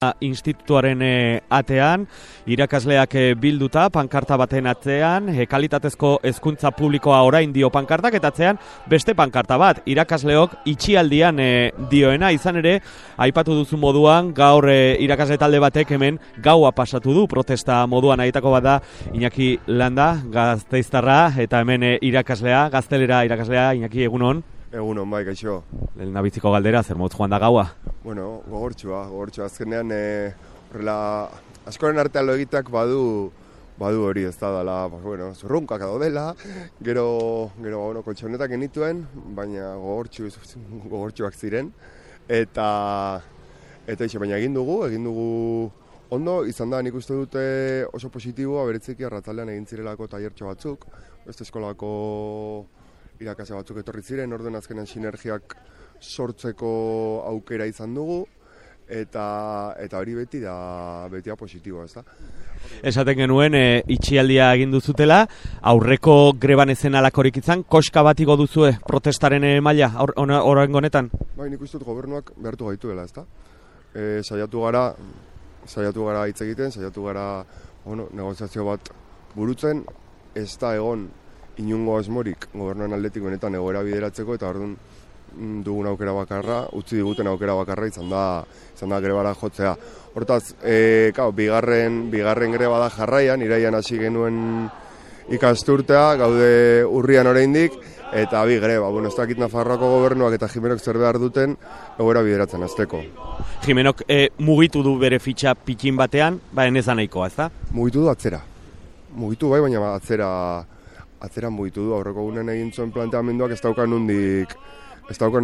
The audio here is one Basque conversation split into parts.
Institutuaren atean, irakasleak bilduta, pankarta baten atzean, kalitatezko hezkuntza publikoa orain dio pankartak, eta atzean beste pankarta bat, irakasleok itxialdian dioena, izan ere, aipatu duzu moduan, gaur irakasle talde batek hemen gaua pasatu du, protesta moduan aitako bat da, Iñaki Landa, Gasteiztarra, eta hemen irakaslea, Gaztelera irakaslea, Iñaki, egunon? Egunon, bai, gaixo. Lehen nabiziko galdera, zer moduz joan da gaua? Bueno, gogortxua, azkenean, horrela, askoren artean lo egiteak badu hori ez da dela, bueno, zurrunkak daudela, gero, koltxonetak genituen, baina gogortxuak ziren, eta baina egin dugu ondo, izan da, nik uste dute oso positiboa, beretzeki arratzaldean egin zirelako tailertxo batzuk, beste eskolako irakasle batzuk etorri ziren, orden azkenean sinergiak sortzeko aukera izan dugu, eta hori beti da positiboa, ez da? Esaten genuen, itxialdia egin duzutela, aurreko greban ezen alakorik izan, koska bat igo duzue protestaren maila, orain honetan? Bai, nik uste dut gobernuak behartu gaituela, ez da? Saiatu gara hitz egiten, saiatu gara negoziazio bat burutzen, ez da egon inungo asmorik gobernuan aldetik benetan egoera bideratzeko, eta orduan dugun aukera bakarra, utzi diguten aukera bakarra izan da grebara jotzea. Hortaz, bigarren greba da jarraian, iraian hasi genuen ikasturtea, gaude urrian oraindik, eta bi greba. Ez dakit Nafarroako gobernuak eta Jimenok zer behar duten egoera bideratzen hasteko. Jimenok mugitu du bere fitxa pikin batean, enezan nahikoa, ez da? Mugitu du atzera. Mugitu bai, baina atzera mugitu du, aurreko gunen egin zuen planteamenduak ez daukan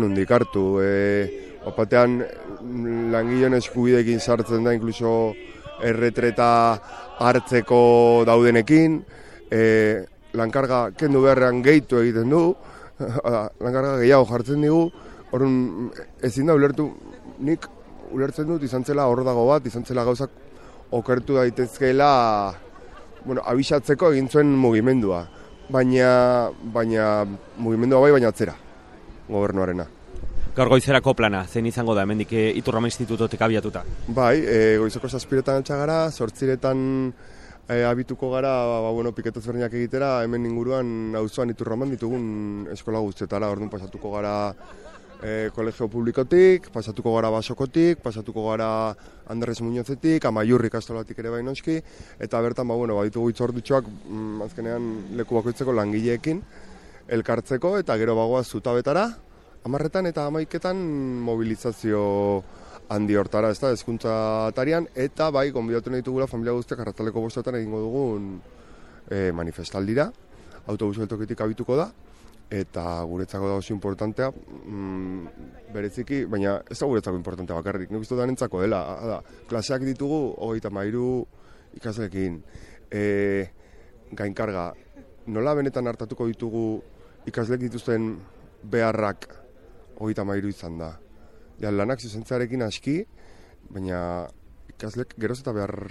nundik hartu. Opatean langileen eskubidekin sartzen da, inkluso erretreta hartzeko daudenekin, lankarga kendu beharrean gehitu egiten du, lankarga gehiago jartzen digu, orduan ezin da nik ulertzen dut izan zela hor dago bat, izan zela gauzak okertu daitezkeela, abisatzeko egin zuen mugimendua. Baina mugimendua bai, baina atzera, gobernuarena. Gaur goizerako plana, zein izango da, hemendik Iturrama Institutotik abiatuta? Bai, goizeko 7:00 altxa gara, 8:00 abituko gara, piketaz berdinak egitera, hemen inguruan auzoan Iturraman ditugun eskola guztetara, orduan pasatuko gara kolegio publikotik, pasatuko gara Basokotik, pasatuko gara Andres Muñozetik, Amaiurri ikastolatik ere bainoski, eta bertan baditugu hitzordutxoak azkenean leku bakoitzeko langileekin elkartzeko, eta gero bagoaz zutabetara, 10:00 eta 11:00 mobilizazio handi hortara, ez da, hezkuntza atarian, eta bai, gonbidatu nahi ditugula familia guztiak arratzaldeko 5:00 egingo dugun manifestaldira, autobus geltokitik abituko da, eta guretzako da oso importantea, bereziki, baina ez da guretzako importantea bakarrik, nik uste danentzako dela, klaseak ditugu 33 ikasleekin, gainkarga, nola benetan hartatuko ditugu ikasleek dituzten beharrak 33 izan da. Lanak zuzentzarekin aski, baina ikasleek geroz eta behar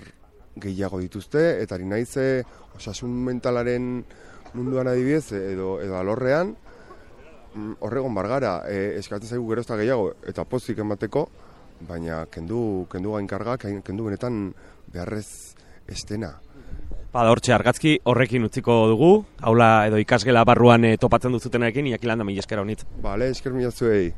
gehiago dituzte, eta ari naiz osasun mentalaren munduan adibidez, edo alorrean, horregon bargara, eskatzen zaigu geroz eta gehiago, eta pozik emateko, baina kendu gainkarga, kendu benetan beharrez estena. Hortxe argazki horrekin utziko dugu, aula edo ikasgela barruan topatzen duzutenarekin, Iñaki Landa, mila esker honitz. Bale, esker mila zuei.